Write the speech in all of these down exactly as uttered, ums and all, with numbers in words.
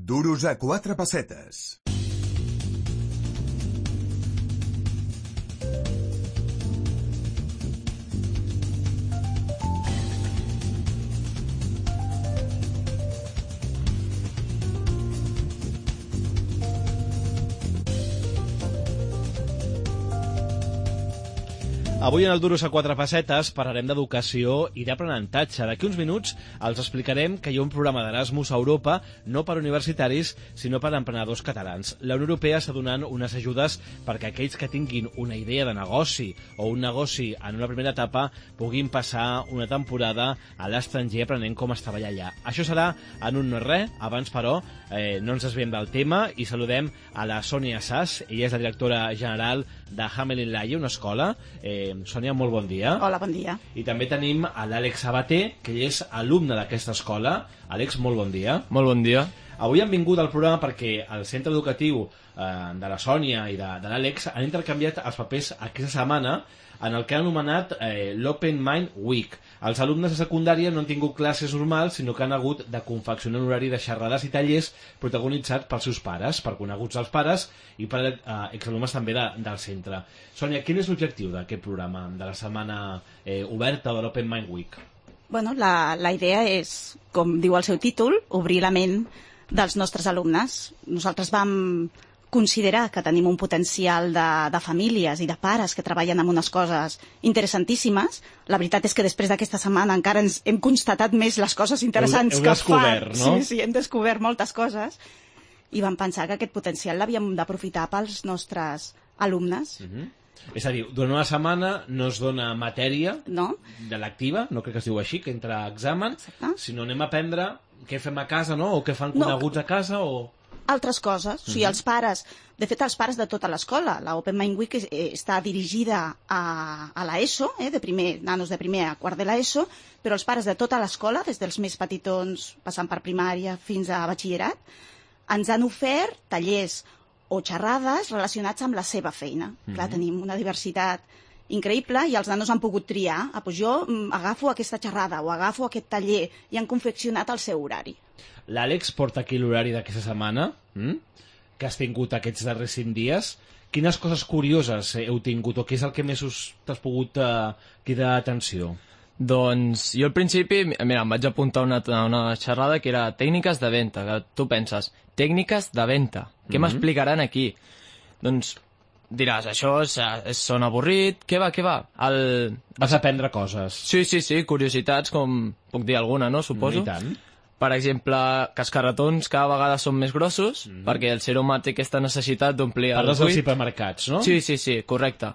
Duros a quatre pessetes. Avui en el Duros a quatre pessetes parlarem d'educació i d'aprenentatge. D'aquí uns minuts els explicarem que hi ha un programa d'Erasmus a Europa, no per universitaris, sinó per emprenedors catalans. La Unió Europea està donant unes ajudes perquè aquells que tinguin una idea de negoci o un negoci en una primera etapa puguin passar una temporada a l'estranger aprenent com es treballa allà. Això serà en un no res. Abans, però, eh, no ens desviem del tema i saludem a la Sònia Sass. Ella és la directora general de Hamelin Laie, una escola. Eh, Sònia, molt bon dia. Hola, bon dia. I també tenim a l'Àlex Sabater, que ell és alumne d'aquesta escola. Àlex, molt bon dia. Molt bon dia. Avui han vingut al programa perquè el centre educatiu eh, de la Sònia i de, de l'Àlex han intercanviat els papers aquesta setmana en el que han anomenat eh, l'Open Mind Week. Els alumnes de secundària no han tingut classes normals, sinó que han hagut de confeccionar un horari de xerrades i tallers protagonitzats pels seus pares, per coneguts dels pares i per eh, exalumnes també de, del centre. Sònia, quin és l'objectiu d'aquest programa, de la setmana eh, oberta de l'Open Mind Week? Bueno, la, la idea és, com diu el seu títol, obrir la ment dels nostres alumnes. Nosaltres vam considerar que tenim un potencial de, de famílies i de pares que treballen en unes coses interessantíssimes. La veritat és que després d'aquesta setmana encara ens hem constatat més les coses interessants heu, heu que descobert, fan. No? Sí, sí, hem descobert moltes coses i vam pensar que aquest potencial l'havíem d'aprofitar pels nostres alumnes. Uh-huh. És a dir, durant una setmana no es dona matèria no? de l'activa, no crec que es diu així, que entra a examen, Exacte. sinó anem a aprendre què fem a casa, no? O què fan coneguts no. a casa, o... altres coses. O sigui, els pares, de fet, els pares de tota l'escola. La Open Mind Week eh, està dirigida a, a l'ESO, eh, de primer, nanos de primer a quart de l'ESO, però els pares de tota l'escola, des dels més petitons, passant per primària fins a batxillerat, ens han ofert tallers o xerrades relacionats amb la seva feina. Mm-hmm. Clar, tenim una diversitat increïble i els nanos han pogut triar. Ah, doncs jo mm, agafo aquesta xerrada o agafo aquest taller i han confeccionat el seu horari. L'Àlex porta aquí l'horari d'aquesta setmana, hm? que has tingut aquests darrers cinc dies. Quines coses curioses heu tingut o què és el que més us t'has pogut uh, cridar atenció? Doncs jo al principi, mira, em vaig apuntar una, una xerrada que era tècniques de venda, que tu penses, tècniques de venda, què mm-hmm. m'explicaran aquí? Doncs diràs, això és, és son avorrit, què va, què va? El... Vas aprendre coses. Sí, sí, sí, curiositats, com puc dir alguna, no? Suposo. I tant. Per exemple, que els carretons cada vegada són més grossos, mm-hmm. perquè el ser humà té aquesta necessitat d'omplir el buit. Parles dels hipermercats, no? Sí, sí, sí, correcte.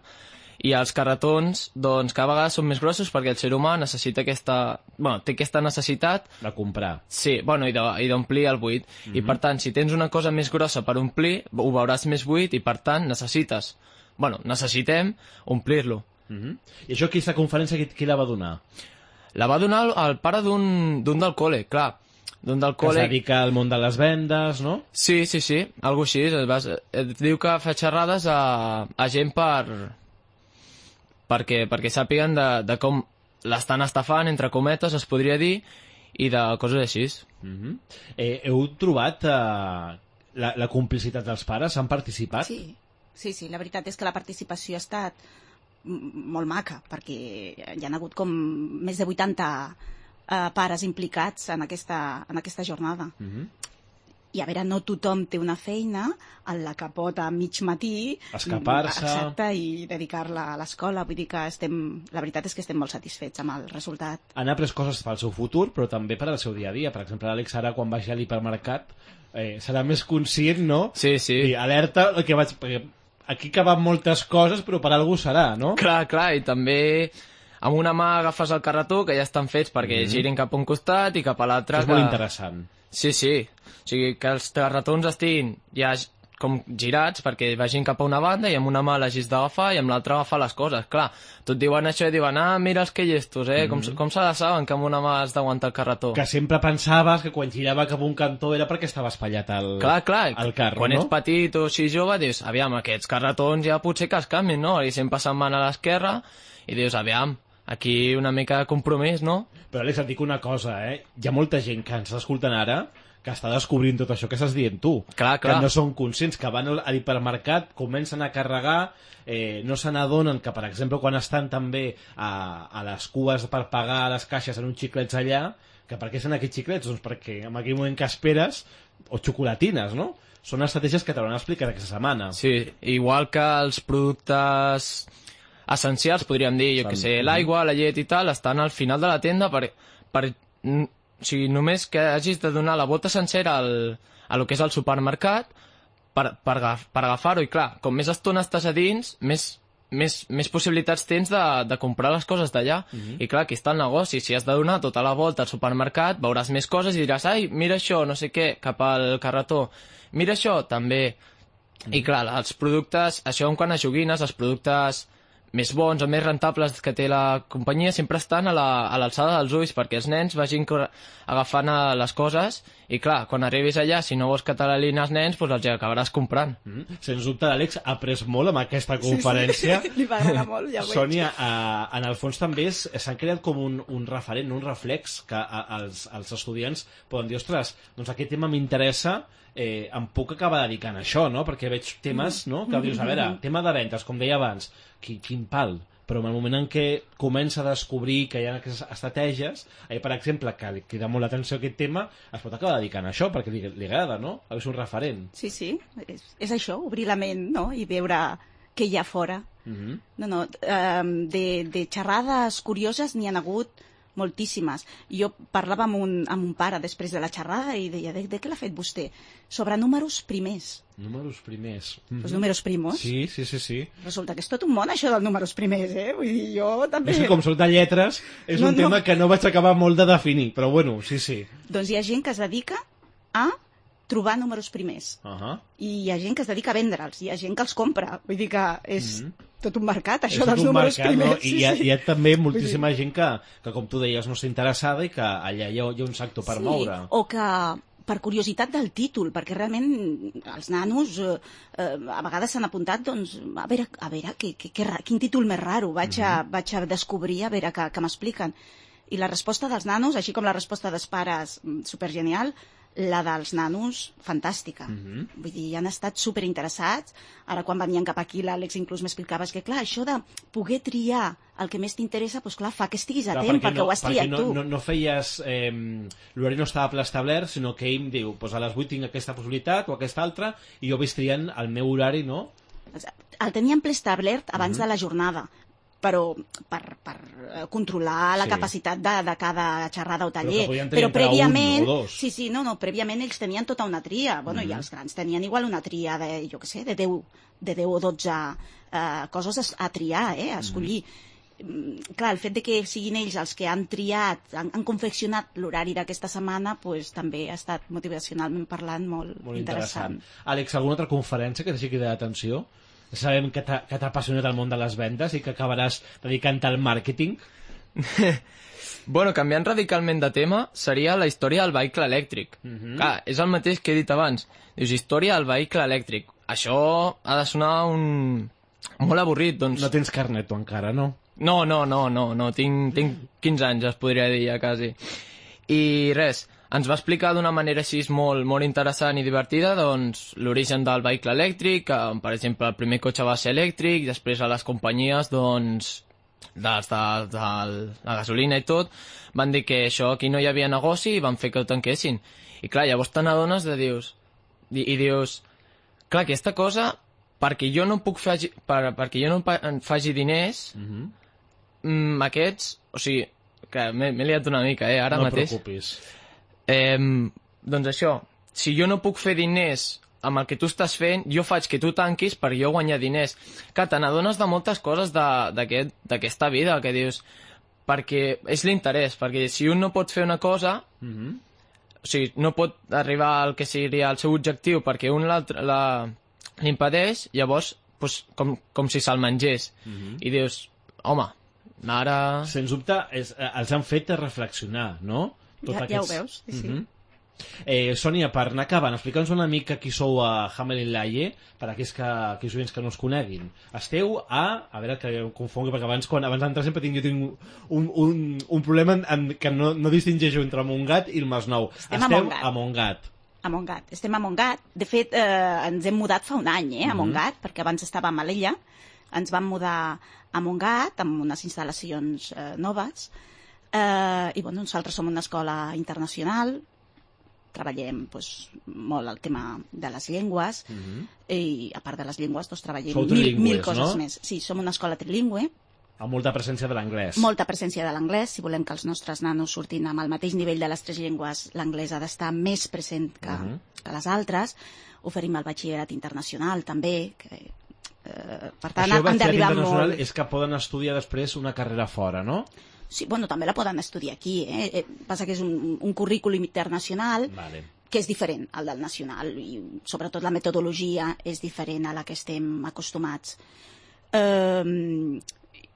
I els carretons, doncs, cada vegada són més grossos perquè el ser humà necessita aquesta... Bueno, té aquesta necessitat... De comprar. Sí, bueno, i d'omplir el buit. Mm-hmm. I, per tant, si tens una cosa més grossa per omplir, ho veuràs més buit i, per tant, necessites... Bueno, necessitem omplir-lo. Mm-hmm. I això, aquesta conferència, qui, qui la va donar? La va donar el, el pare d'un del col·le, clar. D'un del col·le... Que es dedica al món de les vendes, no? Sí, sí, sí, algo així. Et diu que fa xerrades a, a gent per... perquè, perquè sàpiguen de, de com l'estan estafant, entre cometes, es podria dir, i de coses així. Mm-hmm. eh, heu trobat eh, la, la complicitat dels pares? Han participat? Sí, sí, sí, la veritat és que la participació ha estat molt maca, perquè hi ha hagut com més de vuitanta eh, pares implicats en aquesta, en aquesta jornada. Mm-hmm. I a veure, no tothom té una feina en la que pot a mig matí escapar-se, exacte, i dedicar-la a l'escola. Vull dir que estem, la veritat és que estem molt satisfets amb el resultat. Han après coses pel seu futur, però també per al seu dia a dia. Per exemple, l'Àlex ara, quan vagi a l'hipermercat, eh, serà més conscient, no? Sí, sí. I alerta, el que vaig... Perquè aquí caben moltes coses, però per algú serà, no? Clar, clar, i també... Amb una mà agafes el carretó, que ja estan fets perquè mm-hmm. girin cap a un costat i cap a l'altre... És que... molt interessant. Sí, sí. O sigui, que els carretons estiguin ja com girats perquè vagin cap a una banda i amb una mà l'hagis d'agafar i amb l'altra agafar les coses. Clar, tot diuen això i diuen, ah, mira els que llestos, eh? Mm-hmm. Com, com se la saben que amb una mà has d'aguantar el carretó? Que sempre pensaves que quan girava cap a un cantó era perquè estava espatllat el, clar, clar. el carro, quan no? Ets petit o així jove, dius, aviam, aquests carretons ja potser que es canvin, no? I sempre se'n van a l'esquerra i dius, aviam, aquí una mica de compromís, no? Però Àlex, et dic una cosa, eh? Hi ha molta gent que ens està escoltant ara que està descobrint tot això que estàs dient tu. Clar, clar. Que no són conscients, que van a l'hipermercat, comencen a carregar, eh, no se n'adonen que, per exemple, quan estan també a, a les cues per pagar a les caixes en uns xiclets allà, que per què són aquests xiclets? Doncs perquè en aquell moment que esperes, o xocolatines, no? Són estratègies que t'hauran explicat aquesta setmana. Sí, igual que els productes essencials, podríem dir, jo que sé, l'aigua, la llet i tal, estan al final de la tenda per... per o sigui, només que hagis de donar la bota sencera al, a lo que és el supermercat per, per, agaf, per agafar-ho. I clar, com més estona estàs a dins, més, més, més possibilitats tens de, de comprar les coses d'allà. Uh-huh. I clar, aquí està el negoci. Si has de donar tota la volta al supermercat, veuràs més coses i diràs, ai, mira això, no sé què, cap al carretó. Mira això, també. Uh-huh. I clar, els productes, això en quant a joguines, els productes més bons o més rentables que té la companyia sempre estan a l'alçada la, dels ulls perquè els nens vagin agafant les coses i clar, quan arribis allà, si no vols que te l'alin els nens, doncs els acabaràs comprant. Mm. Sens dubte, l'Àlex ha après molt amb aquesta conferència. Sí, sí. Li va agradar molt, ja ho veig. Sònia, eh, en el fons també s'han creat com un, un referent, un reflex que a, els, els estudiants poden dir, ostres, doncs aquest tema m'interessa, eh, em puc acabar dedicant a això, no? Perquè veig temes, no?, que dius, a veure, tema de ventes, com deia abans, quin, quin pal, però en el moment en què comença a descobrir que hi ha aquestes estratègies, eh, per exemple, que li crida molt l'atenció aquest tema, es pot acabar dedicant a això, perquè li, li agrada, no? A és un referent. Sí, sí, és, és això, obrir la ment, no?, i veure què hi ha fora. Uh-huh. No, no, um, de, de xerrades curioses n'hi ha hagut moltíssimes. Jo parlava amb un, amb un pare després de la xerrada i deia, de, de què l'ha fet vostè? Sobre números primers. Números primers. Mm-hmm. Pues números primos. Sí, sí, sí, sí. Resulta que és tot un món, això dels números primers, eh? Vull dir, jo també... És que com soc de lletres, és no, un no. tema que no vaig acabar molt de definir, però bueno, sí, sí. Doncs hi ha gent que es dedica a trobar números primers. Uh-huh. I hi ha gent que es dedica a vendre'ls, hi ha gent que els compra. Vull dir que és... Mm-hmm. tot un mercat, això és dels números mercat, primers. No? I hi ha, hi ha també moltíssima gent que, que, com tu deies, no està interessada i que allà hi ha, hi ha un sector per sí, moure. O que per curiositat del títol, perquè realment els nanos eh, a vegades s'han apuntat, doncs, a veure, a veure que, que, que, quin títol més raro, vaig a, mm-hmm. vaig a descobrir, a veure què, què m'expliquen. I la resposta dels nanos, així com la resposta dels pares, supergenial, la dels nanos, fantàstica. Mm-hmm. Vull dir, han estat superinteressats. Ara, quan venien cap aquí, l'Àlex inclús m'explicava que, clar, això de poder triar el que més t'interessa, doncs clar, fa que estiguis atent, clar, perquè, perquè no, ho has triat no, tu. No, no feies... Eh, l'horari no estava preestablert, sinó que ell diu, doncs a les vuit tinc aquesta possibilitat o aquesta altra, i jo vaig triant el meu horari, no? El teníem preestablert abans mm-hmm. de la jornada, però per, per controlar la sí. capacitat de, de cada xerrada o taller. Però, però prèviament, un o dos. sí, sí, no, no, prèviament ells tenien tota una tria. Bueno, mm-hmm. i els grans tenien igual una tria de, jo què sé, de deu, de deu o dotze eh, coses a, a triar, eh, a escollir. Mm-hmm. Clar, el fet de que siguin ells els que han triat, han, han confeccionat l'horari d'aquesta setmana, pues, també ha estat motivacionalment parlant molt, molt interessant. interessant. Àlex, alguna altra conferència que t'hagi cridat l'atenció? Sabem que t'ha apassionat el món de les vendes i que acabaràs dedicant-te al màrqueting. Bueno, canviant radicalment de tema, seria la història del vehicle elèctric. Mm-hmm. Clar, és el mateix que he dit abans. Dius, història del vehicle elèctric. Això ha de sonar un... molt avorrit, doncs... No tens carnet, tu, encara, no? No, no, no, no, no. Tinc, tinc quinze anys, es podria dir, ja, quasi. I res, ens va explicar d'una manera així molt, molt interessant i divertida, doncs, l'origen del vehicle elèctric, que, per exemple, el primer cotxe va ser elèctric, després a les companyies, doncs, dels de, de la gasolina i tot, van dir que això aquí no hi havia negoci i van fer que ho tanquessin. I clar, llavors te n'adones de dius, i, i dius, clar, aquesta cosa, perquè jo no puc fer, per, perquè jo no faci diners, mm-hmm. aquests, o sigui, que m'he liat una mica, eh, ara no mateix. No et preocupis. Eh, doncs això, si jo no puc fer diners amb el que tu estàs fent, jo faig que tu tanquis per jo guanyar diners. Que te n'adones de moltes coses d'aquesta aquest, vida, que dius, perquè és l'interès, perquè si un no pot fer una cosa, mm-hmm. o sigui, no pot arribar al que seria el seu objectiu perquè un l'impedeix, llavors, doncs, com, com si se'l mengés. Mm-hmm. I dius, home, ara... Sens dubte, és, els han fet reflexionar, no? Ja, ja ho veus, sí, sí. Mm-hmm. Eh, Sònia, per anar acabant, explica'ns una mica qui sou a Hamelin Laie, per a aquells, que, aquells oients que no us coneguin. Esteu a... A veure, que em confongui, perquè abans, quan, abans d'entrar sempre tinc, jo tinc un, un, un problema en, en, que no, no distingeixo entre Montgat i el Masnou. Estem Esteu a Montgat. a Montgat. A Montgat. Estem a Montgat. De fet, eh, ens hem mudat fa un any, eh, a Montgat, perquè abans estàvem a l'Ella. Ens vam mudar a Montgat amb unes instal·lacions eh, noves. Eh, I, bueno, nosaltres som una escola internacional, treballem doncs, molt el tema de les llengües, Mm-hmm. i a part de les llengües doncs, treballem Sou mil, trilingües, mil coses no? més. Sí, som una escola trilingüe, Amb molta presència de l'anglès. molta presència de l'anglès. Si volem que els nostres nanos surtin amb el mateix nivell de les tres llengües, l'anglès ha d'estar més present que, Mhm. que les altres. Oferim el batxillerat internacional també, que, eh, per tant Això han batxillerat d'arribar internacional molt... és que poden estudiar després una carrera fora, no? Sí, bueno, també la poden estudiar aquí, eh? Eh, Passa que és un, un currículum internacional Vale. que és diferent al del nacional i sobretot la metodologia és diferent a la que estem acostumats. Eh,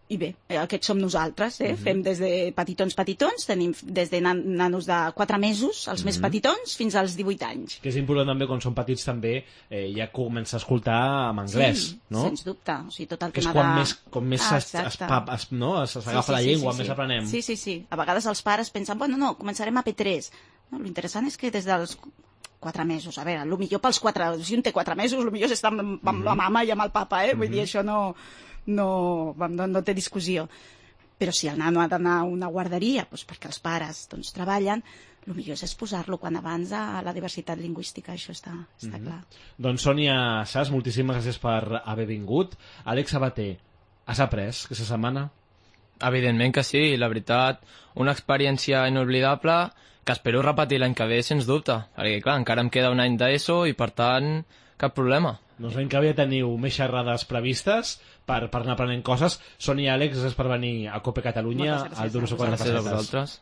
I bé, eh, aquests som nosaltres, eh? Mhm. Fem des de petitons petitons, tenim des de nan nanos de quatre mesos, els més petitons, fins als divuit anys. Que és important també, quan són petits també, eh, ja comença a escoltar en anglès, Sí, no? sens dubte. O sigui, tot el Que és tema quan de... més, com més Ah, es, es, exacte. pa- es, no? es, s'agafa Sí, sí, la sí, llengua, sí, més sí. aprenem. Sí, sí, sí. A vegades els pares pensen, bueno, no, començarem a P tres. No, l'interessant és que des dels quatre mesos, a veure, el millor pels quatre, si un té quatre mesos, el millor és estar amb, amb la mama i amb el papa, eh? Vull dir, això no, no, no, no té discussió. Però si el nano ha d'anar a una guarderia, doncs perquè els pares doncs, treballen, el millor és exposar-lo quan abans a la diversitat lingüística, això està, està clar. Doncs Sònia Sas, moltíssimes gràcies per haver vingut. Àlex Sabater, has après aquesta setmana? Evidentment que sí, la veritat, una experiència inoblidable que espero repetir l'any que ve, sens dubte, perquè clar, encara em queda un any d'ESO i per tant, cap problema. Doncs l'any que ve teniu més xerrades previstes per, per anar aprenent coses. Sònia i Àlex, gràcies per venir a Cope Catalunya, Moltes gràcies al Duro a Quatre Gràcies a Pessetes. vosaltres.